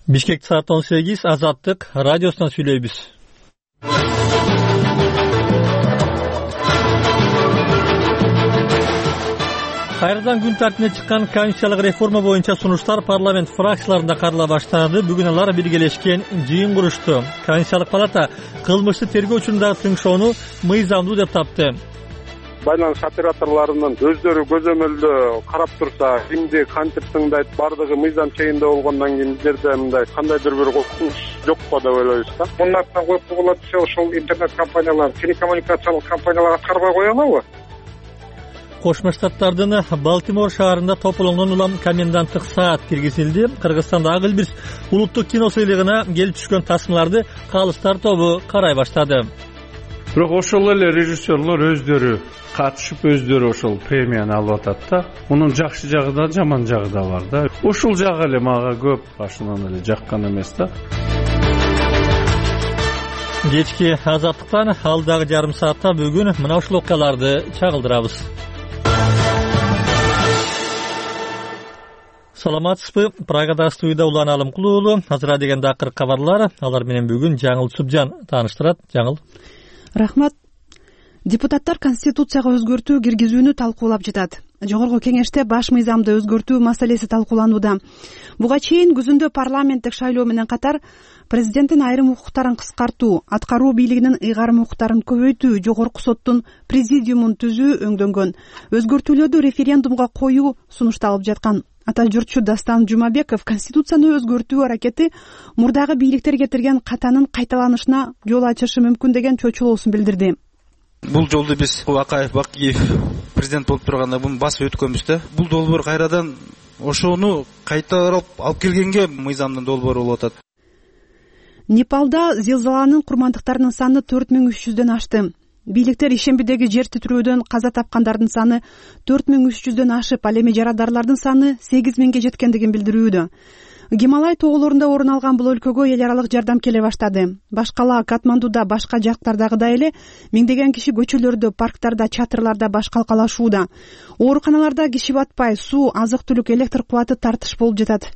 Бишкек саат 18, Азаттык радиосунан сүйлөйбүз. Кайрадан күн тартибине чыккан конституциялык реформа боюнча сунуштар парламент фракцияларында карала баштады. Бүгүн алар биргелешкен жыйын курушту. Конституциялык палата кылмышты тергөө учурундагы тыңшоону мыйзамдуу деп тапты. Байланыш операторлорунун өздөрү көзөмөлдө карап турса, кимди кантип тыңдайт, бардыгы мыйзам чегинде болгондон кийин бизерде мындай кандайдыр бир коркунуч жокпу деп ойлойбуз да. Мундан коюп койгула десе, ошол интернет компаниялар, телекоммуникациялык компаниялар аткарбай кое алабы? Кошмо Штаттардын Балтимор шаарында тополоңдон улам коменданттык саат киргизилди. Кыргызстанда Ак Элбирс улуттук кино сыйлыгына келип түшкөн тасмаларды калыстар тобу карай баштады. Бирок ошол эле режиссерлор өздөрү катышып, өздөрү ошол премияны алып атат да. Мунун жакшы жагы да, жаман жагы да бар да. Ушул жагы эле мага көп башынан эле жаккан эмес да. Кечки Азаттыктан алдагы жарым саатта бүгүн мына ушул окуяларды чагылдырабыз. Саламатсызбы? Прагада студияда Улан Алымкулуу уулу. Азыра дегенде акыркы кабарлар. Алар менен бүгүн Жаңыл Субжан тааныштырат. Жаңыл. Рахмат. Депутаттар Конституцияга өзгөртүү киргизүүнү талкуулап жатат. Жогорку кеңеште баш мыйзамды өзгөртүү маселеси талкууланууда. Буга чейин күзүндө парламенттик шайлоо менен катар президенттин айрым укуктарын кыскартуу, аткаруу бийлигинин ыйгарым укуктарын көбөйтүү, жогорку соттун президиумун түзүү өңдөнгөн. Өзгөртүүлөрдү референдумга коюу сунушталып жаткан. Ата журтчу Дастан Жумабеков Конституцияны өзгөртүү аракети мурдагы бийликтер кетирген катанын кайталанышына жол ачышы мүмкүн деген чочулоосун билдирди. Бул жолду биз Акаев Бакиев президент болуп турганда буну басып өткөнбүз да. Бул долбоор кайрадан ошону кайтарып алып келгенге мыйзамдын долбоору болуп атат. Непалда зилзаланын курмандыктарынын саны 4300дөн ашты. Бийликтер ишембидеги жер титирөөдөн каза тапкандардын саны 4300дөн ашып, ал эми жарадарлардын саны 8000ге жеткендигин билдирүүдө. Гималай тоголорунда орун алган бул өлкөгө эл аралык жардам келе баштады. Башкала Катмандуда, башка жактардагыдай эле миңдеген киши көчөлөрдө, парктарда, чатырларда баш калкалашууда. Ооруканаларда киши батпай, суу, азык-түлүк, электр кубаты тартыш болуп жатат.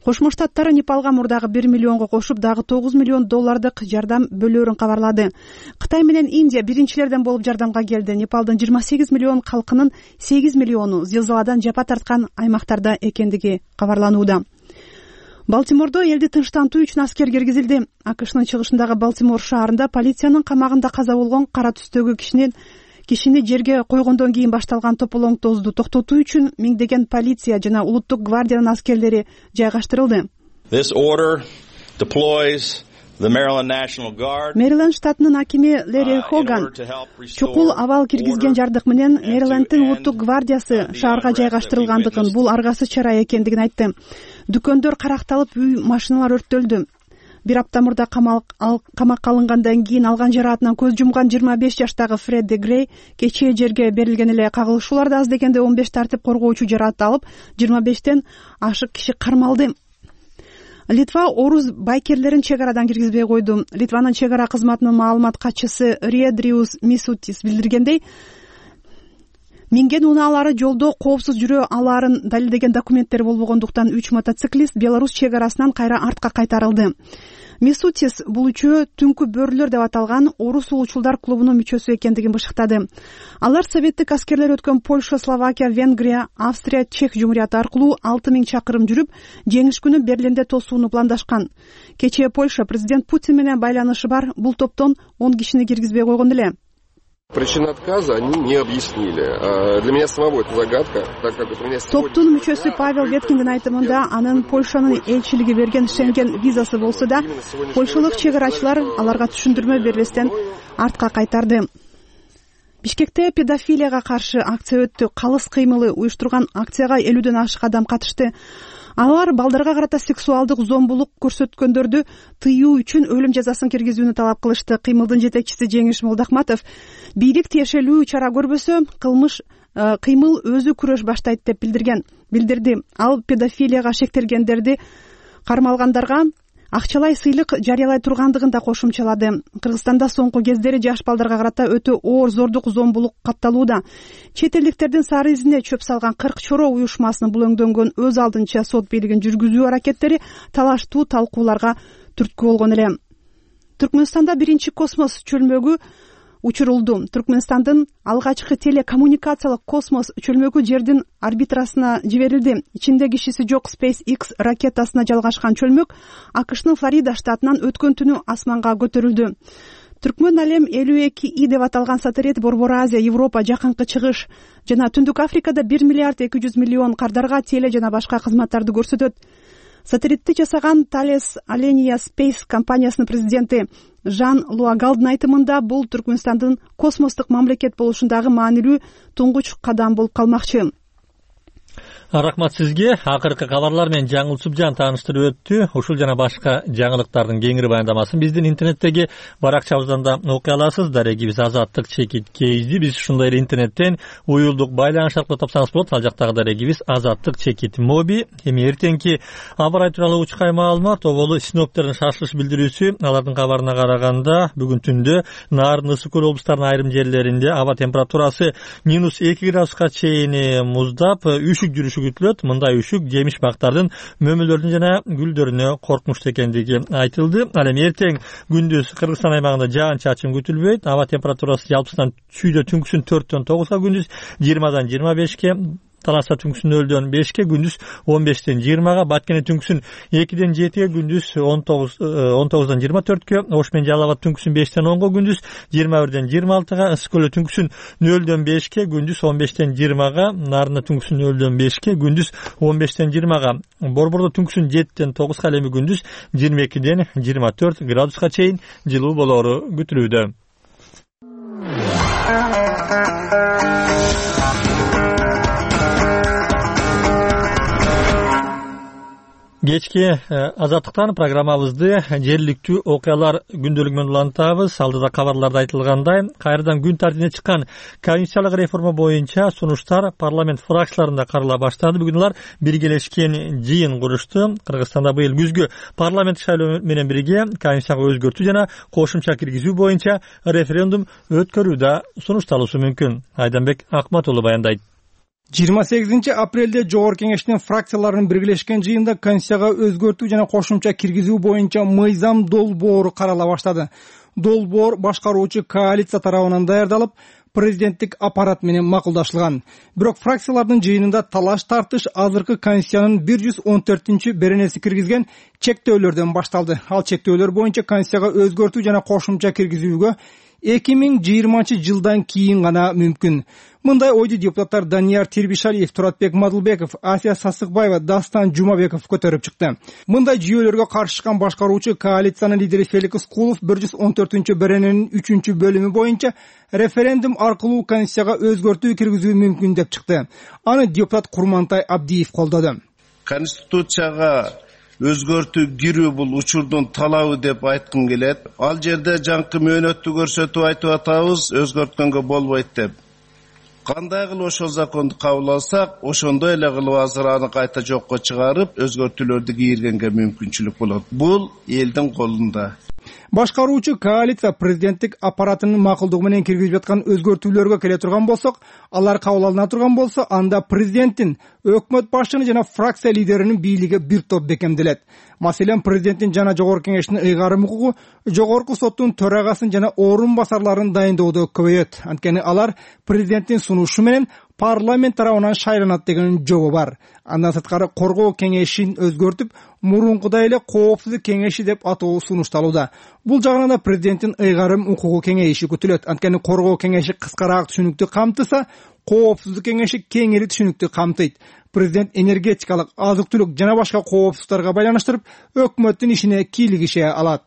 Кошмо Штаттары Непалга мурдагы 1 миллионго кошуп, дагы 9 миллион доллардык жардам бөлөөрүн кабарлады. Кытай менен Индия биринчилерден болуп жардамга келди. Непалдын 28 миллион калкынын 8 миллиону зилзаладан жапа тарткан аймактарда экендиги кабарланууда. Балтимордо элди тынчтантуу үчүн аскер киргизилди. АКШнын чыгышындагы Балтимор шаарында полициянын камагында каза болгон кара түстөгү кишини жерге койгондон кийин башталган тополоңтоозду токтотуу үчүн миңдеген полиция жана улуттук гвардиянын аскерлери жайгаштырылды. Мэриленд штатынын акими Лерри Хоган чукул абал киргизген жардык менен Мэрилендтин улуттук гвардиясы шаарга жайгаштырылгандыгын, бул аргасыз чара экендигин айтты. Дүкөндөр каракталып, үй, машиналар өрттөлдү. Бир апта мурда камакка алынгандан кийин алган жараатынан көз жумган 25 жаштагы Фредди Грей кечээ жерге берилген эле кагылышууларда аз дегенде 15 тартип коргоочу жараат алып, 25тен ашык киши кармалды. Литва орус байкерлерин чек арадан киргизбей койду. Литванын чек ара кызматынын маалымат катчысы Риедриус Мисутис билдиргендей, минген унаалары жолдо коопсуз жүрө алаарын далилдеген документтер болбогондуктан 3 мотоциклист Беларусь чек арасынан кайра артка кайтарылды. Мисутис бул үчөө түнкү бөрүлөр деп аталган орус улуучулдар клубунун мүчөсү экендигин бышыктады. Алар советтик аскерлер өткөн Польша, Словакия, Венгрия, Австрия, Чех жумурияты аркылуу 6000 чакырым жүрүп, жеңиш күнү Берлинде тосууну пландашкан. Кечээ Польша президент Путин менен байланышы бар бул топтон 10 кишини киргизбей койгон эле. Причину отказа они не объяснили. Для меня самого это загадка, так как у меня Топтун мүчөсү Павел Веткиндин айтымында, анын Польшанын элчилиги берген Шенген визасы болсо да, польшалык чек арачылар аларга түшүндүрмө бербестен артка кайтарды. Бишкекте педофилияга каршы акция өттү. Калыс кыймылы уюштурган акцияга 50дөн ашык адам катышты. Алар балдарга карата сексуалдык зомбулук көрсөткөндөрдү тыюу үчүн өлүм жазасын киргизүүнү талап кылышты. Кыймылдын жетекчиси Жеңиш Молдахматов бийлик тиешелүү чара көрбөсө, кыймыл өзү күрөш баштайт деп билдирди. Ал педофилияга шектелгендерди кармалгандарга акчалай сыйлык жарыялай тургандыгын да кошумчалады. Кыргызстанда соңку кездери жаш балдарга карата өтө оор зордук, зомбулук катталууда. Чет элдиктердин сары изине чөп салган 40 чоро уюшмасынын булөңдөнгөн өз алдынча сот бийлигин жүргүзүү аракеттери талаштуу талкууларга түрткү болгон эле. Түркмөнстанда биринчи космос чөлмөгү учурулду. Түркмөнстандын алгачкы телекоммуникациялык космос чөлмөгү жердин орбитасына жиберилди. Ичинде кишиси жок SpaceX ракетасына жалгашкан чөлмөк АКШнын Флорида штатынан өткөн түнү асманга көтөрүлдү. Түркмөн алем 52I деп аталган сателлит Борбор Азия, Европа, Жакынкы Чыгыш жана Түндүк Африкада 1 миллиард 200 миллион кардарга теле жана башка кызматтарды көрсөтөт. Сателлитти жасаган Thales Alenia Space компаниясынын президенти Жан Луагалдын айтымында бул Түркмөнстандын космостук мамлекет болушундагы маанилүү туңгуч кадам болуп калмакчы. Рахмат сизге. Акыркы кабарлар менен Жаңыл Субжан тааныштырып өттү. Ушул жана башка жаңылыктардын кеңири баяндамасын биздин интернеттеги баракчабыздан да окуй аласыз. Дарегибиз Азаттык чекит KZ. Биз ушундай эле интернеттен уюлдук байланыш аркылуу тапсаңыз болот. Ал жактагы дарегибиз Азаттык чекит моби. Эми эртеңки аба ырайы тууралуу учкай маалымат, оболу синоптиктердин шашылыш билдирүүсү. Алардын кабарына караганда бүгүн түндө Нарын, Ысык көл облустарынын айрым жерлеринде аба температурасы -2 градуска чейин муздап, үшүк жүрүшү күтүлөт. Мындай үшүк жемиш бактардын, мөмөлөрдүн жана гүлдөрүнө коркунучтуу экендиги айтылды. Ал эми эртең күндүз Кыргызстан аймагында жаан-чачын күтүлбөйт. Аба температурасы жалпысынан чүйдө түнкүсүн 4-төн 9га, күндүз 20-дан 25ке, Таласта түнкүсүн 0-дөн 5ке, күндүз 15-тен 20га, Баткене түнкүсүн 2-ден 7ге, күндүз 19-дан 24ке, Ош менен Жалал Абад түнкүсүн 5-тен 10га, күндүз 21-ден 26га, Ысык көлдө түнкүсүн 0-дөн 5ке, күндүз 15-тен 20га, Нарында түнкүсүн 0-дөн 5ке, күндүз 15-тен 20га, Борбордо түнкүсүн 7-тен 9га, эми күндүз 22-ден 24 градуска чейин жылуу болору күтүлүүдө. Кечки Азаттыктан программабызды жергиликтүү окуялар күндөлүгү менен улантабыз. Алдыда кабарларда айтылгандай, кайрадан күн тартибине чыккан конституциялык реформа боюнча сунуштар парламент фракцияларында карала баштады. Бүгүн алар биргелешкен жыйын курушту. Кыргызстанда быйыл күзгү парламент шайлоо менен бирге конституцияга өзгөртүү жана кошумча киргизүү боюнча референдум өткөрүү да сунушталышы мүмкүн. Айданбек Акматулу баяндайт. 28 апрелде Жогорку Кеңештин фракцияларынын биргелешкен жыйында конституцияга өзгөртүү жана кошумча киргизүү боюнча мыйзам долбоору карала баштады. Долбоор башкаруучу коалиция тарабынан даярдалып, президенттик аппарат менен макулдашылган. Бирок фракциялардын жыйынында талаш тартыш азыркы конституциянын 114-беренеси киргизген чектөөлөрдөн башталды. Ал чектөөлөр боюнча конституцияга өзгөртүү жана кошумча киргизүүгө 2020 жылдан кийин гана мүмкүн. Мындай ойду депутаттар Данияр Тирбишалиев, Туратбек Мадылбеков, Асия Сасыкбаева, Дастан Жумабеков көтөрүп чыкты. Мындай жүйөлөргө каршы чыккан башкаруучу коалициянын лидери Феликс Кулов 114-берененин 3-бөлүмү боюнча референдум аркылуу конституцияга өзгөртүү киргизүү мүмкүн деп чыкты. Аны депутат Курмантай Абдиев колдоду. Конституцияга өзгөртүү кирүү бул учурдун талабы деп айткым келет. Ал жерде жаңкы мөөнөттү көрсөтүп айтып атабыз, өзгөрткөнгө болбойт деп. Кандай кылып ошол законду кабыл алсак, ошондой эле кылып азыр аны кайта жокко чыгарып, өзгөртүүлөрдү кийиргенге мүмкүнчүлүк болот. Бул элдин колунда. Башкаруучу коалиция президенттик аппаратынын макулдугу менен киргизип жаткан өзгөртүүлөргө келе турган болсок, алар кабыл алына турган болсо, анда президенттин, өкмөт башчынын жана фракция лидеринин бийлиги бир топ бекемделет. Маселен, президенттин жана Жогорку Кеңештин ыйгарым укугу Жогорку соттун төрагасын жана орун басарларын дайындоодо көбөйөт. Анткени алар президенттин сунушу менен парламент тарабынан шайланат деген жобо бар. Андан сырткары коргоо кеңешин өзгөртүп, мурункудай эле коопсуздук кеңеши деп атоо сунушталууда. Бул жагынан да президенттин ыйгарым укугу кеңейиши күтүлөт. Анткени коргоо кеңеши кыскараак түшүнүктү камтыса, коопсуздук кеңеши кеңири түшүнүктү камтыйт. Президент энергетикалык, азык-түлүк жана башка коопсуздуктарга байланыштырып, өкмөттүн ишине кийлигише алат.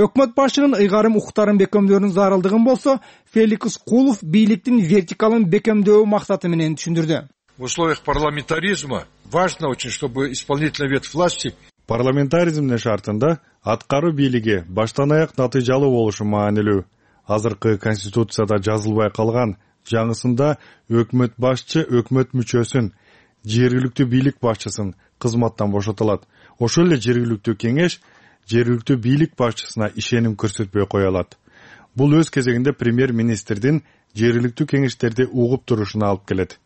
Өкмөт башчынын ыйгарым укуктарын бекемдөөнүн зарылдыгын болсо, Феликс Кулов бийликтин вертикалын бекемдөө максаты менен түшүндүрдү. В условиях парламентаризма важно очень, чтобы исполнительная ветвь власти. Парламентаризмдин шартында аткаруу бийлиги баштан аяк натыйжалуу болушу маанилүү. Азыркы конституцияда жазылбай калган жаңысында өкмөт башчы өкмөт мүчөсүн, жергиликтүү бийлик башчысын кызматтан бошотулат. Ошол эле жергиликтүү кеңеш жергиликтүү бийлик башчысына ишеним көрсөтпөй кое алат. Бул өз кезегинде премьер-министрдин жергиликтүү кеңештерди угуп турушуна алып келет.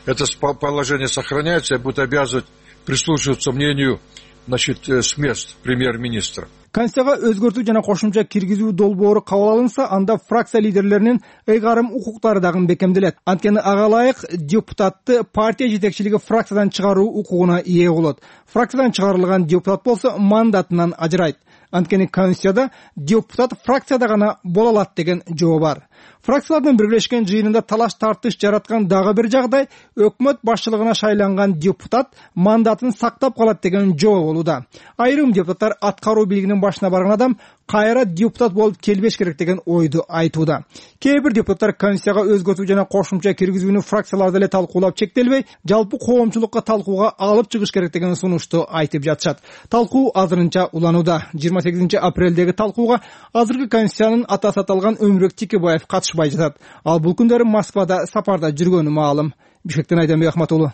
Это положение сохраняется и будет обязывать прислушиваться мнению, с мест премьер-министра. Конституцияга өзгөртүү жана кошумча киргизүү долбоору кабыл алынса, анда фракция лидерлеринин ыйгарым укуктары дагы бекемделет. Анткени ага ылайык депутатты партия жетекчилиги фракциядан чыгаруу укугуна ээ болот. Фракциядан чыгарылган депутат болсо мандатынан ажырайт. Анткени Конституцияда депутат фракцияда гана боло алат деген жобо бар. Фракциялардын биргелешкен жыйынында талаш тартыш жараткан дагы бир жагдай өкмөт башчылыгына шайланган депутат мандатын сактап калат деген жобо болууда. Айрым депутаттар аткаруу бийлигинин башына барган адам кайра депутат болуп келбеш керек деген ойду айтууда. Кээ бир депутаттар Конституцияга өзгөртүү жана кошумча киргизүүнү фракцияларда эле талкуулап чектелбей, жалпы коомчулукка талкууга алып чыгыш керек деген сунушту айтып жатышат. Талкуу азырынча уланууда. 28 апрелдеги талкууга азыркы Конституциянын атасы аталган Өмүрбек Тикебаев катышпай жатат. Ал бул күндөрү Москвада сапарда жүргөнү маалым. Бишкектен Айданбек Ахматулу.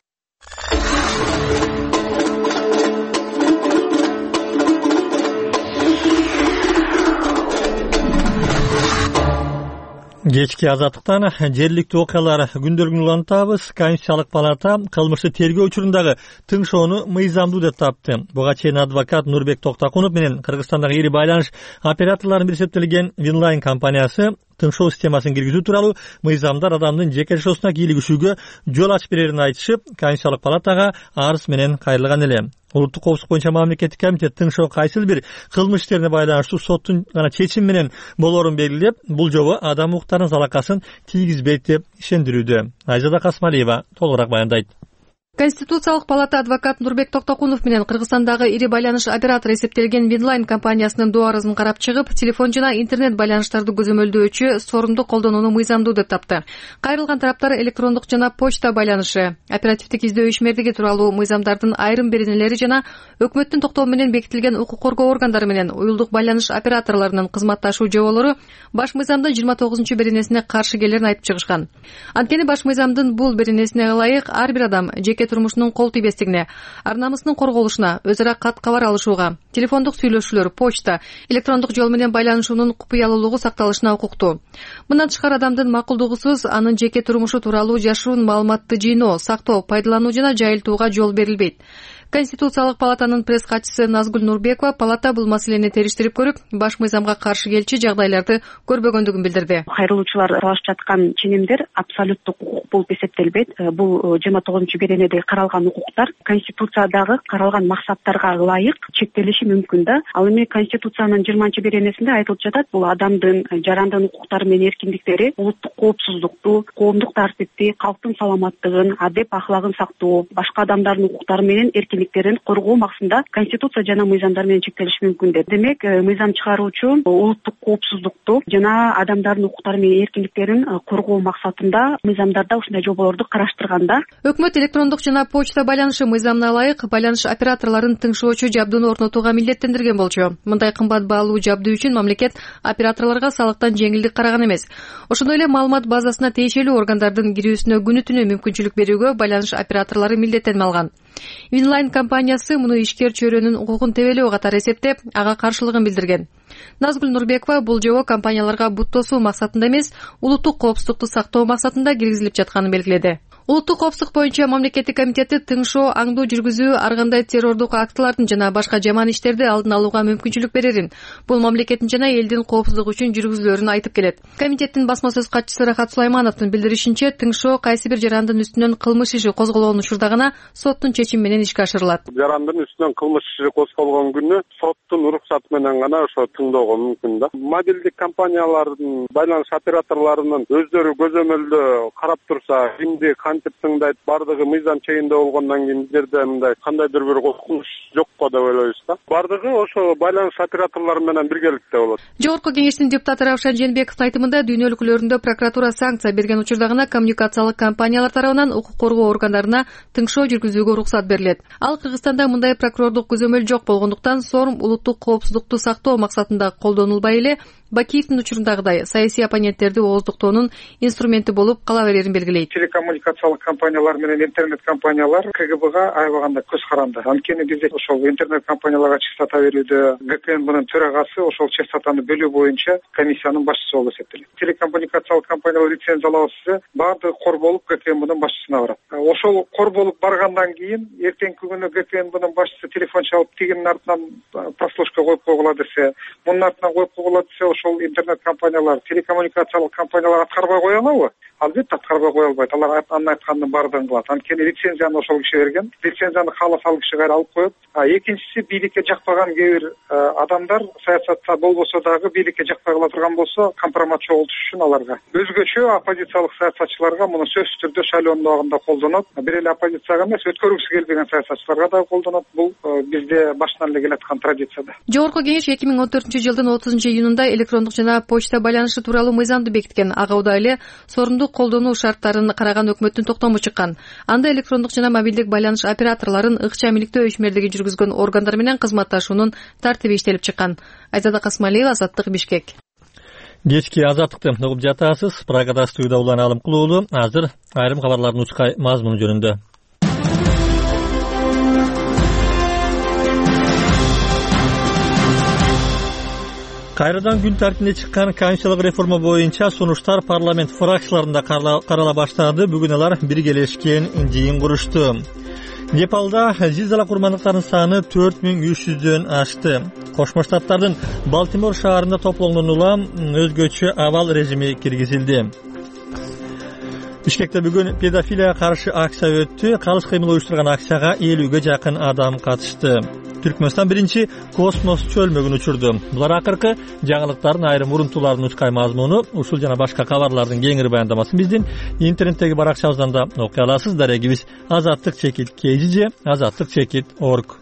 Кечки азаттыктан жергиликтүү окуялар күндөлүгүн улантабыз. Конституциялык палата кылмышты тергөө учурундагы тыңшоону мыйзамдуу деп тапты. Буга чейин адвокат Нурбек Токтокунов менен Кыргызстандагы ири байланыш операторлорунун бир эсептелген Winline компаниясы тыңшоо системасын киргизүү тууралуу мыйзамдар адамдын жеке жашоосуна кийлигишүүгө жол ачып берерин айтышып, Конституциялык палатага арыз менен кайрылган эле. Улуттук коопсуздук боюнча мамлекеттик комитет тыңшоо кайсыл бир кылмыш иштерине байланыштуу соттун гана чечими менен болоорун белгилеп, бул жобо адам укуктарынын залакасын тийгизбейт деп ишендирүүдө. Айзада Касмалиева толугураак баяндайт. Конституциялык палата адвокат Нурбек Токтокунов менен Кыргызстандагы ири байланыш оператору эсептелген Winline компаниясынын доо арызын карап чыгып, телефон жана интернет байланыштарды көзөмөлдөөчү сорумду колдонууну мыйзамдуу деп тапты. Кайрылган тараптар электрондук жана почта байланышы, оперативдик издөө ишмердиги тууралуу мыйзамдардын айрым беренелери жана өкмөттүн токтому менен бекитилген укук коргоо органдары менен уюлдук байланыш операторлорунун кызматташуу жоболору баш мыйзамдын 29 беренесине каршы келерин айтып чыгышкан. Анткени баш мыйзамдын бул беренесине ылайык ар бир адам жеке турмушунун кол тийбестигине, ар намысынын корголушуна, өз ара кат кабар алышууга, телефондук сүйлөшүүлөр, почта, электрондук жол менен байланышуунун купуялуулугу сакталышына укуктуу. Мындан тышкары адамдын макулдугусуз анын жеке турмушу тууралуу жашыруун маалыматты жыйноо, сактоо, пайдалануу жана жайылтууга жол берилбейт. Конституциялык палатанын пресс катчысы Назгүл Нурбекова палата бул маселени териштирип көрүп, баш мыйзамга каршы келчү жагдайларды көрбөгөндүгүн билдирди. Кайрылуучулар аралашып жаткан ченемдер абсолюттук укук болуп эсептелбейт. Бул 29 беренеде каралган укуктар Конституциядагы каралган максаттарга ылайык чектелиши мүмкүн да. Ал эми Конституциянын 20 беренесинде айтылып жатат, бул адамдын жарандын укуктары менен эркиндиктери, улуттук коопсуздукту, коомдук тартипти, калктын саламаттыгын, адеп ахлагын сактоо, башка адамдардын укуктары менен коргоо максатында Конституция жана мыйзамдар менен чектелиши мүмкүн деп. Демек, мыйзам чыгаруучу улуттук коопсуздукту жана адамдардын укуктары менен эркиндиктерин коргоо максатында мыйзамдарда ушундай жоболорду караштырганда, өкмөт электрондук жана почта байланышы мыйзамына ылайык байланыш операторлорун тыңшоочу жабдууну орнотууга милдеттендирген болчу. Мындай кымбат баалуу жабдуу үчүн мамлекет операторлорго салыктан жеңилдик караган эмес. Ошондой эле маалымат базасына тиешелүү органдардын кирүүсүнө күнү-түнү мүмкүнчүлүк берүүгө байланыш операторлору милдеттенме алган. Winline компаниясы муну ишкер чөйрөнүн укугун тебелөө катары эсептеп, ага каршылыгын билдирген. Назгүл Нурбекова бул жобо компанияларга бут тосуу максатында эмес, улуттук коопсуздукту сактоо максатында киргизилип жатканын белгиледи. Улуттук коопсуздук боюнча мамлекеттик комитети тыңшоо, аңдуу жүргүзүү, ар кандай террордук актылардын жана башка жаман иштерди алдын алууга мүмкүнчүлүк берерин, бул мамлекеттин жана элдин коопсуздугу үчүн жүргүзүлөрүн айтып келет. Комитеттин басма сөз катчысы Рахат Сулаймановдун билдиришинче, тыңшоо кайсы бир жарандын үстүнөн кылмыш иши козголгон учурда гана соттун чечими менен ишке ашырылат. Жарандын үстүнөн кылмыш иши козголгон күнү соттун уруксаты менен гана ошо тыңдоого мүмкүн да. Мобилдик компаниялардын, байланыш операторлорунун өздөрү көзөмөлдө карап турса, кимди кантип тыңдайт, бардыгы мыйзам чегинде болгондон кийин бизде мындай кандайдыр бир коркунуч жок го деп ойлойбуз да. Бардыгы ошо байланыш операторлору менен биргеликте болот. Жогорку кеңештин депутаты Равшан Жээнбековдун айтымында дүйнө өлкөлөрүндө прокуратура санкция берген учурда гана коммуникациялык компаниялар тарабынан укук коргоо органдарына тыңшоо жүргүзүүгө уруксат берилет. Ал Кыргызстанда мындай прокурордук көзөмөл жок болгондуктан сорум улуттук коопсуздукту сактоо максатында колдонулбай эле Бакиевдин учурундагыдай саясий оппоненттерди ооздуктоонун инструменти болуп кала берерин белгилейт. Телекоммуникациялык компаниялар менен интернет компаниялар КГБга аябаганда көз каранды. Анткени бизде ошол интернет компанияларга частота берүүдө ГКНБнын төрагасы ошол частотаны бөлүү боюнча комиссиянын башчысы болуп эсептелет. Телекоммуникациялык компаниялар лицензиялабаса баардыгы кор болуп ГКНБнын башчысына барат. Ошол кор болуп баргандан кийин эртеңки күнү ГКНБнын башчысы телефон чалып тигинин артынан прослушка коюп койгула десе, мунун артынан коюп койгула десе, ошол интернет компаниялар, телекоммуникациялык компаниялар аткарбай кое алабы? Албетте аткарбай кое албайт. Алар анын айтканынын баардыгын кылат. Анткени лицензияны ошол киши берген. Лицензияны кааласа ал киши кайра алып коет. Экинчиси, бийликке жакпаган кээ бир адамдар саясатта болбосо дагы бийликке жакпай кала турган болсо компромат чогултуш үчүн аларга өзгөчө оппозициялык саясатчыларга муну сөзсүз түрдө шайлоонун убагында колдонот. Бир эле оппозицияга эмес, өткөргүсү келбеген саясатчыларга дагы колдонот. Бул бизде башынан эле келаткан традицияда. Жогорку Кеңеш 2014-жылдын 30-июнунда электрондук жана почта байланышы тууралуу мыйзамды бекиткен. Ага учурда эле соорундук колдонуу шарттарын караган өкмөттүн токтому чыккан. Анда электрондук жана мобилдик байланыш операторлорун ыкча амиликтөө ишмердиги жүргүзгөн органдар менен кызматташуунун тартиби иштелип чыккан. Айзада Касмалиева, Азаттык, Бишкек. Кечки Азаттыкты угуп жатасыз. Прагада студияда Улан Алымкулуулу. Азыр айрым кабарлардын учкай мазмуну жөнүндө. Кайрадан күн тартибине чыккан конституциялык реформа боюнча сунуштар парламент фракцияларында карала баштады. Бүгүн алар биргелешкен жыйын курушту. Непалда зилзала курмандыктарынын саны 4300дөн ашты. Кошмо Штаттардын Балтимор шаарында топлоңдон улам өзгөчө абал режими киргизилди. Бишкекте бүгүн педофилияга каршы акция өттү. Калыс кыймыл уюштурган акцияга 50ге жакын адам катышты. Түркмөнстан биринчи космос чөлмөгүн учурду. Булар акыркы жаңылыктардын айрым урунтууларынын учкай мазмуну. Ушул жана башка кабарлардын кеңири баяндамасын биздин интернеттеги баракчабыздан да окуй аласыз. Дарегибиз azattik.kg, azattik.org.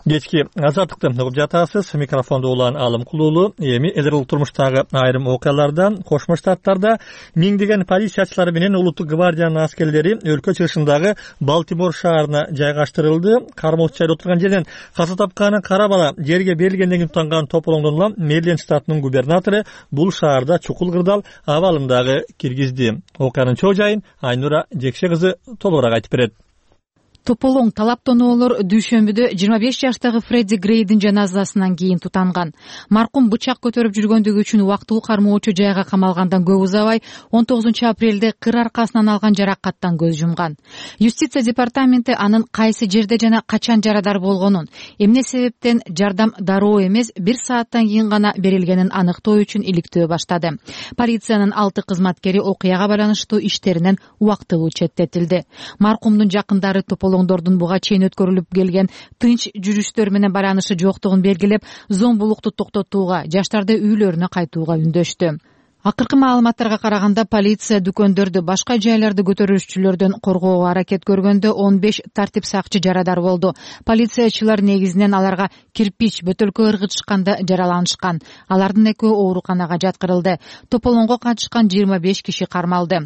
Кечки Азаттыкты угуп жатасыз. Микрофондо Улан Алымкулуулу. Эми элдер турмуштагы айрым окуялардан Кошмо Штаттарда миңдеген полициячылар менен улуттук гвардиянын аскерлери өлкө чыгышындагы Балтимор шаарына жайгаштырылды. Кармоочу жайда отурган жерден каза тапканын кара бала жерге берилгенден кийин тутанган тополоңдон улам Мэриленд штатынын губернатору бул шаарда чукул кырдаал абалын дагы киргизди. Окуянын чоо жайын Айнура Жекше кызы толугураак айтып берет. Тополоң талаптоноолор дүйшөмбүдө 25 жаштагы Фредди Грейдин жаназасынан кийин тутанган. Маркум бычак көтөрүп жүргөндүгү үчүн убактылуу кармоочу жайга камалгандан көп узабай 19 апрелде кыр аркасынан алган жаракаттан көз жумган. Юстиция департаменти анын кайсы жерде жана качан жарадар болгонун, эмне себептен жардам дароо эмес 1 сааттан кийин гана берилгенин аныктоо үчүн иликтөө баштады. Полициянын 6 кызматкери окуяга байланыштуу иштеринен убактылуу четтетилди. Маркумдун жакындары тополоңдордун буга чейин өткөрүлүп келген тынч жүрүштөр менен байланышы жоктугун белгилеп, зомбулукту токтотууга, жаштарды үйлөрүнө кайтууга үндөштү. Акыркы маалыматтарга караганда полиция дүкөндөрдү, башка жайларды көтөрүүчүлөрдөн коргоого аракет көргөндө 15 тартип сакчы жарадар болду. Полициячылар негизинен аларга кирпич, бөтөлкө ыргытышканда жараланышкан. Алардын экөө ооруканага жаткырылды. Тополоңго катышкан 25 киши кармалды.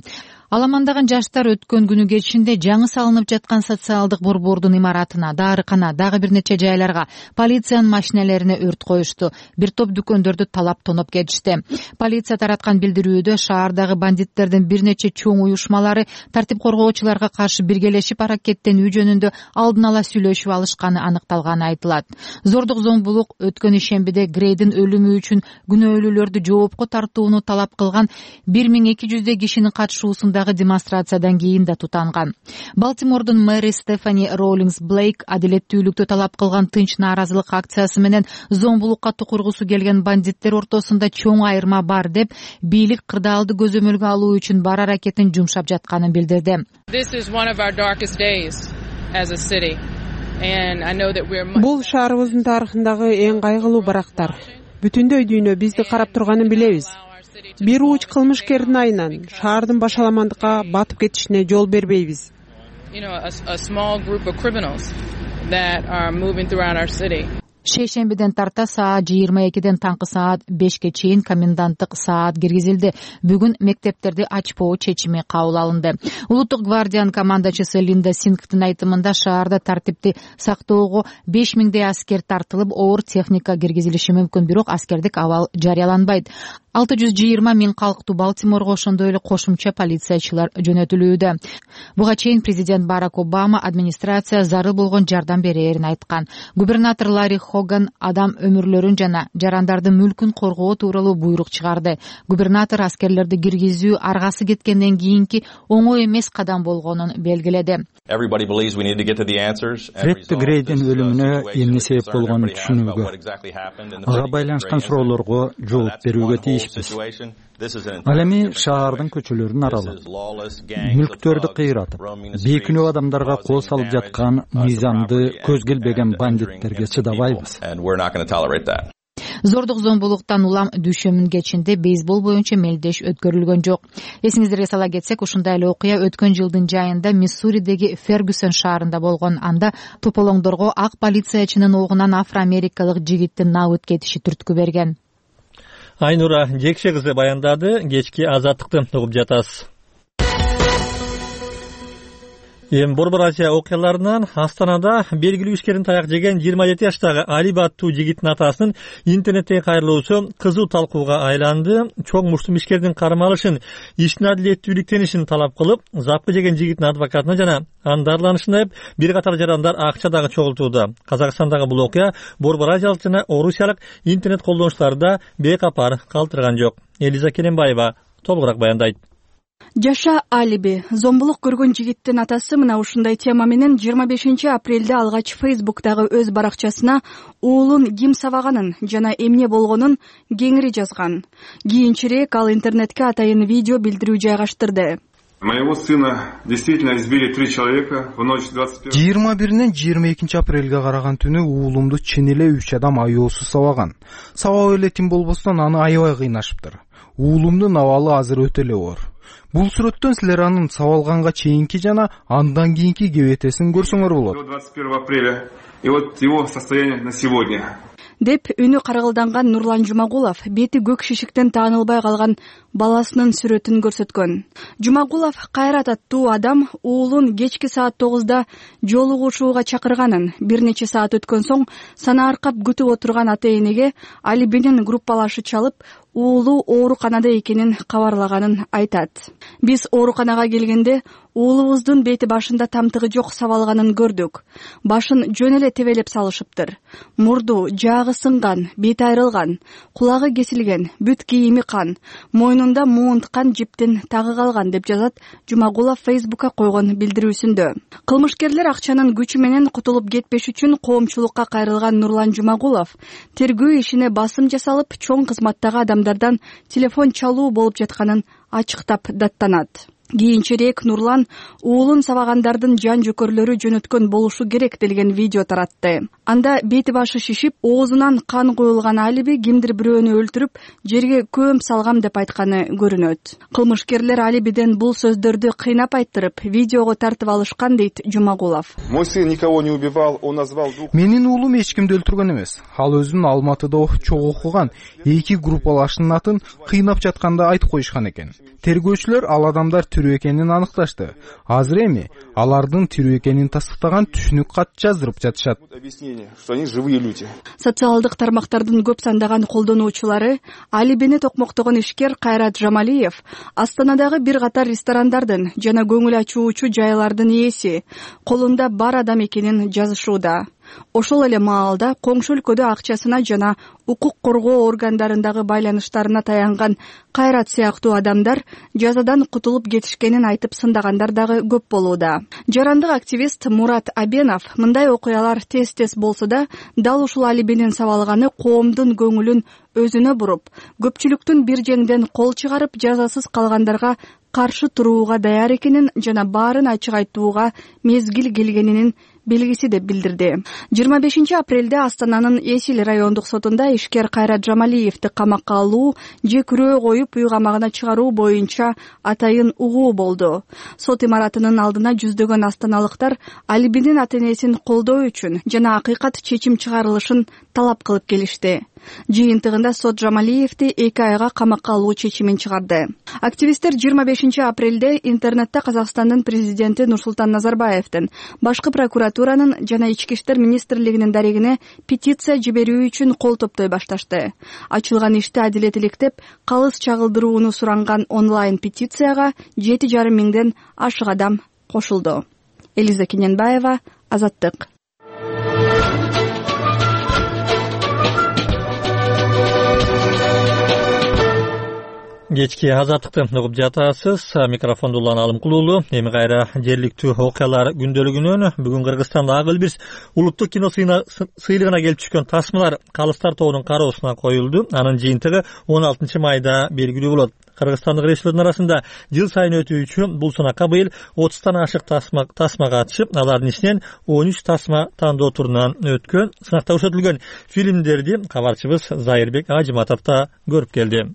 Аламандаган жаштар өткөн күнү кечинде жаңы салынып жаткан социалдык борбордун имаратына, дарыкана, дагы бир нече жайларга, полициянын машиналарине өрт коюшту. Бир топ дүкөндөрдү талап тоноп кетишти. Полиция тараткан билдирүүдө шаардагы бандиттердин бир нече чоң уюшмалары тартип коргоочуларга каршы биргелешип аракеттенүү жөнүндө алдын ала сүйлөшүп алышканы аныкталганы айтылат. Зордук зомбулук өткөн ишембиде Грейдин өлүмү үчүн күнөөлүүлөрдү жоопко тартууну талап кылган 1200 кишинин катышуусунда демонстрациядан кийин да тутанган. Балтимордун мэри Стефани Роулингс Блейк адилеттүүлүктү талап кылган тынч нааразылык акциясы менен зомбулукка тукургусу келген бандиттер ортосунда чоң айырма бар деп, бийлик кырдаалды көзөмөлгө алуу үчүн бар аракетин жумшап жатканын билдирди. Бул шаарыбыздын тарыхындагы эң кайгылуу барактар. Бүтүндөй дүйнө бизди карап турганын билебиз. Бир уч кылмышкердин айынан шаардын башаламандыкка батып кетишине жол бербейбиз. Шейшембиден тарта саат 22ден таңкы саат 5ке чейин коменданттык саат киргизилди. Бүгүн мектептерди ачпоо чечими кабыл алынды. Улуттук гвардиянын командачысы Линда Сингтин айтымында шаарда тартипти сактоого 5000дей аскер тартылып, оор техника киргизилиши мүмкүн, бирок аскердик абал жарыяланбайт. 620 000 калктуу Балтиморго ошондой эле кошумча полициячылар жөнөтүлүүдө. Буга чейин президент Барак Обама администрация зарыл болгон жардам берээрин айткан. Губернатор Ларри Хоган адам өмүрлөрүн жана жарандардын мүлкүн коргоо тууралуу буйрук чыгарды. Губернатор аскерлерди киргизүү аргасы кеткенден кийинки оңой эмес кадам болгонун белгиледи. Фредди Грейдин өлүмүнө эмне себеп болгонун түшүнүүгө, ага байланышкан суроолорго жооп берүүгө тийишпиз. Ал эми шаардын көчөлөрүн аралап, мүлктөрдү кыйратып, бейкүнөө адамдарга кол салып жаткан мыйзамды көз келбеген бандиттерге чыдабайбыз. Зордук зомбулуктан улам дүйшөмүн кечинде бейсбол боюнча мелдеш өткөрүлгөн жок. Эсиңиздерге сала кетсек, ушундай эле окуя өткөн жылдын жайында Миссуридеги Фергюсон шаарында болгон. Анда тополоңдорго ак полициячынын огунан афро-америкалык жигиттин набыт кетиши түрткү берген. Айнура Жекше кызы баяндады. Кечки Азаттыкты угуп жатасыз. Борбор Азия окуяларынан Астанада белгилүү ишкердин таяк жеген 27 жаштагы Али аттуу жигиттин атасынын интернеттеги кайрылуусу кызуу талкууга айланды. Чоң муштум ишкердин кармалышын, иштин адилеттүүлүктенишин талап кылып, запкы жеген жигиттин адвокатына жана анын дарланышын айып, бир катар жарандар акча дагы чогултууда. Казакстандагы бул окуя Борбор Азиялык жана орусиялык интернет колдонуучуларды бейкапар калтырган жок. Элиза Келенбаева толугураак баяндайт. Жаша Алиби, зомбулук көргөн жигиттин атасы мына ушундай тема менен 25 апрелде алгач Facebook'тагы өз баракчасына уулун ким сабаганын жана эмне болгонун кеңири жазган. Кийинчерээк ал интернетке атайын видео билдирүү жайгаштырды. Моего сына действительно избили 3 человека в ночь 21. 21-нен 22 апрелге караган түнү уулумду чын эле 3 адам аyoосуз сабаган. Сабап эле тим болбостон аны аябай кыйнашыптыр. Уулумдун абалы азыр өтө эле оор. Бул сүрөттөн силер анын сабалганга чейинки жана андан кийинки кебетесин көрсөңөр болот. 21 апреля и вот его состояние на сегодня. Деп үнү каргылданган Нурлан Жумагулов бети көк шишиктен таанылбай калган баласынын сүрөтүн көрсөткөн. Жумагулов Кайрат аттуу адам уулун кечки саат 9да жолугушууга чакырганын, бир нече саат өткөн соң сана аркап күтүп отурган ата-энеге Алибинин группалашы чалып, уулу ооруканада экенин кабарлаганын айтат. Биз ооруканага келгенде уулубуздун бети башында тамтыгы жок сабалганын көрдүк. Башын жөн эле тебелеп салышыптыр. Мурду, жаагы сынган, бети айрылган, кулагы кесилген, бүт кийими кан, мойнунда муунткан жиптин тагы калган деп жазат Жумагулов Facebook'ка койгон билдирүүсүндө. Кылмышкерлер акчанын күчү менен кутулуп кетпеш үчүн коомчулукка кайрылган Нурлан Жумагулов тергөө ишине басым жасалып, чоң кызматтагы адамдардан телефон чалуу болуп жатканын ачыктап даттанат. Кийинчерээк Нурлан уулун сабагандардын жан жөкөрлөрү жөнөткөн болушу керек делген видео таратты. Анда бети башы шишип, оозунан кан куюлган Алиби кимдир бирөөнү өлтүрүп, жерге көм салгам деп айтканы көрүнөт. Кылмышкерлер Алибиден бул сөздөрдү кыйнап айттырып, видеого тартып алышкан дейт Жумагулов. Мой сын никого не убивал, он назвал двух. Менин уулум эч кимди өлтүргөн эмес. Ал өзүн Алматыда чогуу окуган 2 группалашынын атын кыйнап жатканда айтып коюшкан экен. Тергөөчүлөр ал адамдар тирүү экенин аныкташты. Азыр эми алардын тирүү экенин тастыктаган түшүнүк кат жаздырып жатышат. Что они живые люди. Социалдык тармактардын көп сандаган колдонуучулары Алибини токмоктогон ишкер Кайрат Жамалиев Астанадагы бир катар ресторандардын жана көңүл ачуучу жайлардын ээси, колунда бар адам экенин жазышууда. Ошол эле маалда коңшу өлкөдө акчасына жана укук коргоо органдарындагы байланыштарына таянган Кайрат сыяктуу адамдар жазадан кутулуп кетишкенин айтып сындагандар дагы көп болууда. Жарандык активист Мурат Абенов мындай окуялар тез-тез болсо да, дал ушул Алибинин сабалганы коомдун көңүлүн өзүнө буруп, көпчүлүктүн бир жеңден кол чыгарып жазасыз калгандарга каршы турууга даяр экенин жана баарын ачык айтууга мезгил келгенинин белгиси деп билдирди. 25 апрелде Астананын Эсил райондук сотунда ишкер Кайрат Жамалиевди камакка алуу же күрөө коюп үй камагына чыгаруу боюнча атайын угуу болду. Сот имаратынын алдына жүздөгөн астаналыктар Алибинин ата-энесин колдоо үчүн жана акыйкат чечим чыгарылышын талап кылып келишти. Жыйынтыгында сот Жамалиевди 2 айга камакка алуу чечимин чыгарды. Активисттер 25 апрелде интернетте Казакстандын президенти Нурсултан Назарбаевдин, башкы прокуратура прокуратуранын жана ички иштер министрлигинин дарегине петиция жиберүү үчүн кол топтой башташты. Ачылган ишти адилеттиликтеп калыс чагылдырууну суранган онлайн петицияга 7,5 миңден ашык адам кошулду. Элиза Кененбаева, Азаттык. Кечки Азаттыкты угуп жатасыз. Микрофонду Улан Алымкулуулу. Эми кайра жергиликтүү окуялар күндөлүгүнөн бүгүн Кыргызстанда Ак Элбирс улуттук кино сыйлыгына келип түшкөн тасмалар Калыстар тобунун кароосуна коюлду. Анын жыйынтыгы 16 майда белгилүү болот. Кыргызстандык режиссерлордун арасында жыл сайын өтүүчү бул сынакка быйыл 30тан ашык тасма катышып, алардын ичинен 13 тасма тандоо турунан өткөн. Сынакта көрсөтүлгөн фильмдерди кабарчыбыз Зайырбек Ажыматов да көрүп келди.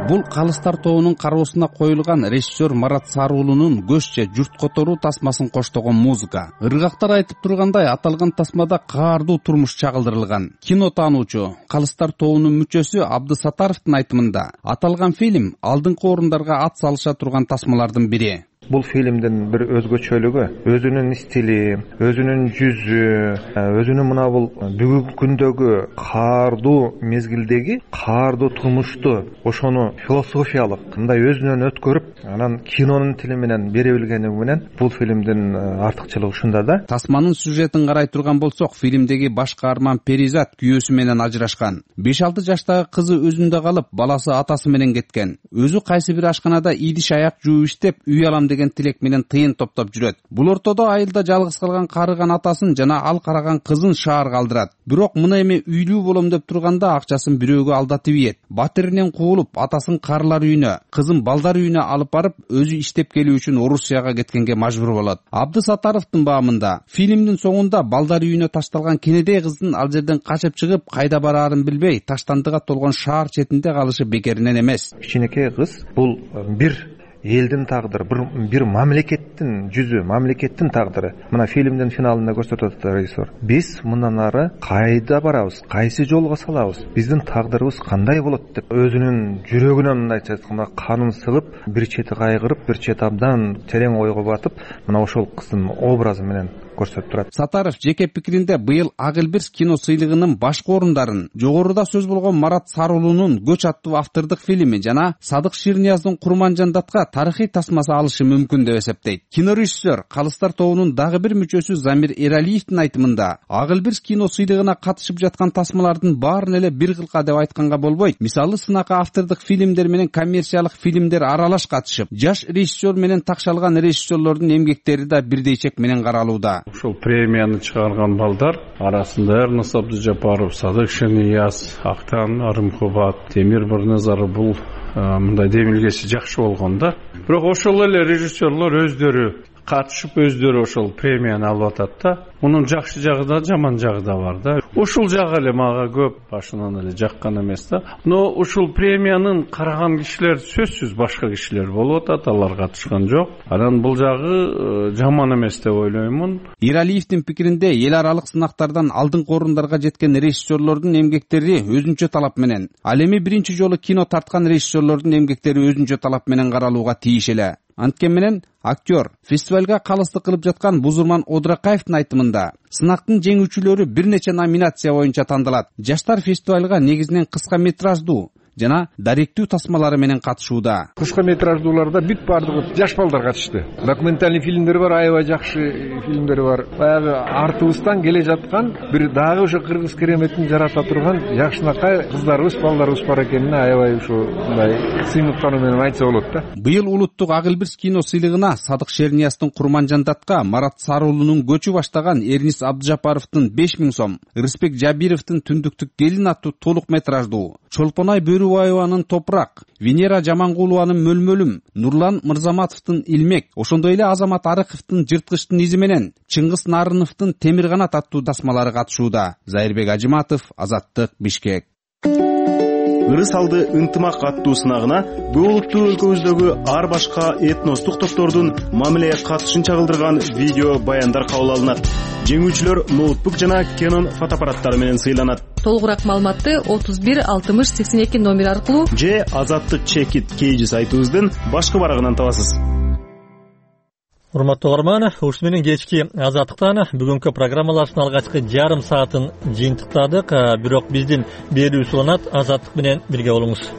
Бул Калыстар тобунун кароосуна коюлган режиссер Марат Саруулунун көч же журт которуу тасмасын коштогон музыка. Ыргактар айтып тургандай, аталган тасмада каардуу турмуш чагылдырылган. Кино таануучу Калыстар тобунун мүчөсү Абдысатаровдун айтымында, аталган фильм алдыңкы орундарга ат салыша турган тасмалардын бири. Бул фильмдин бир өзгөчөлүгү өзүнүн стили, өзүнүн жүзү, өзүнүн мына бул бүгүнкү күндөгү каардуу мезгилдеги каардуу турмушту ошону философиялык мындай өзүнөн өткөрүп, анан кинонун тили менен бере билгени менен бул фильмдин артыкчылыгы ушунда да. Тасманын сюжетин карай турган болсок, фильмдеги баш каарман Перизат күйөөсү менен ажырашкан. 5-6 жаштагы кызы өзүндө калып, баласы атасы менен кеткен. Өзү кайсы бир ашканада идиш аяк жууп иштеп, үй алам деген тилек менен тыйын топтоп жүрөт. Бул ортодо айылда жалгыз калган карыган атасын жана ал караган кызын шаарга алдырат. Бирок мына эми үйлүү болом деп турганда акчасын бирөөгө алдатып ийет. Батиринен куулуп, атасын карылар үйүнө, кызын балдар үйүнө алып барып, өзү иштеп келүү үчүн Орусияга кеткенге мажбур болот. Абдысатаровдун баамында фильмдин соңунда балдар үйүнө ташталган кенедей кыздын ал жерден качып чыгып, кайда бараарын билбей, таштандыга толгон шаар четинде калышы бекеринен эмес. Кичинекей кыз бул бир элдин тагдыры, бир мамлекеттин жүзү, мамлекеттин тагдыры. Мына фильмдин финалында көрсөтөт режиссер. Биз мындан ары кайда барабыз, кайсы жолго салабыз, биздин тагдырыбыз кандай болот деп өзүнүн жүрөгүнөн мындайча айтканда канын сыгып, бир чети кайгырып, бир чети абдан терең ойго батып, мына ошол кыздын образы менен көрсөтүп турат. Сатаров жеке пикиринде быйыл Ак Элбирс кино сыйлыгынын башкы орундарын жогоруда сөз болгон Марат Саруулунун Көч аттуу автордук фильми жана Садык Ширнияздын Курманжандатка тарыхый тасмасы алышы мүмкүн деп эсептейт. Кинорежиссер Калыстар тобунун дагы бир мүчөсү Замир Эралиевдин айтымында, Ак Элбирс кино сыйлыгына катышып жаткан тасмалардын баарын эле бир кылка деп айтканга болбойт. Мисалы, сынакка автордук фильмдер менен коммерциялык фильмдер аралаш катышып, жаш режиссер менен такшалган режиссерлордун эмгектери да бирдей чек менен каралууда. Ушул премияны чыгарган балдар арасында Эрнис Абдыжапаров, Садык Ширнияз, Актан Арымкубат, Темир Бирназаров бул мындай демилгеси жакшы болгон да. Бирок ошол эле режиссерлор өздөрү катышып өздөрү ошол премияны алып атат да. Мунун жакшы жагы да, жаман жагы да бар да. Ушул жагы эле мага көп башынан эле жаккан эмес да. Но ушул премиянын караган кишилер сөзсүз башка кишилер болуп атат, алар катышкан жок. Анан бул жагы жаман эмес деп ойлоймун. Иралиевдин пикиринде эл аралык сынактардан алдыңкы орундарга жеткен режиссерлордун эмгектери өзүнчө талап менен, ал эми биринчи жолу кино тарткан режиссерлордун эмгектери өзүнчө талап менен каралууга тийиш эле. Анткени менен актер фестивалга калыстык кылып жаткан Бузурман Одракаевдин айтымында, сынактын жеңүүчүлөрү бир нече номинация боюнча тандалат. Жаштар фестивалга негизинен кыска метраждуу жана даректүү тасмалары менен катышууда. Кыска метраждууларда бүт бардыгы жаш балдар катышты. Документальный фильмдер бар, аябай жакшы фильмдер бар. Баягы артыбыздан келе жаткан бир дагы ошо кыргыз кереметин жарата турган жакшынакай кыздарыбыз, балдарыбыз бар экенине аябай ушу мындай сыймыктануу менен айтса болот да. Быйыл улуттук Ак Элбирс кино сыйлыгына Садык Ширнияздын Курманжандатка Марат Саруулунун Көчү баштаган Эрнис Абдыжапаровдун 5000 сом, Рыспек Жабировдун Түндүктүк келин аттуу толук метраждуу, Чолпонай Бөрүбаеванын Топурак, Венера Жамангулованын Мөлмөлүм, Нурлан Мырзаматовдун Илмек, ошондой эле Азамат Арыковдун Жырткычтын изи менен Чыңгыз Нарыновдун Темир канат аттуу тасмалары катышууда. Зайырбек Ажыматов, Азаттык, Бишкек. Ырыс алды ынтымак аттуу сынагына бул улуттуу өлкөбүздөгү ар башка этностук топтордун мамилеге катышын чагылдырган видео баяндар кабыл алынат. Жеңүүчүлөр ноутбук жана Canon фотоаппараттары менен сыйланат. Толугураак маалыматты 31 60 82 номер аркылуу же Азаттык Чекит KG сайтыбыздын башкы барагынан табасыз. урматтуу угарман, ушуну менен кечки Азаттыктан бүгүнкү программалардын алгачкы жарым саатын жыйынтыктадык. Бирок биздин берүүбүз уланат. Азаттык менен бирге болуңуз.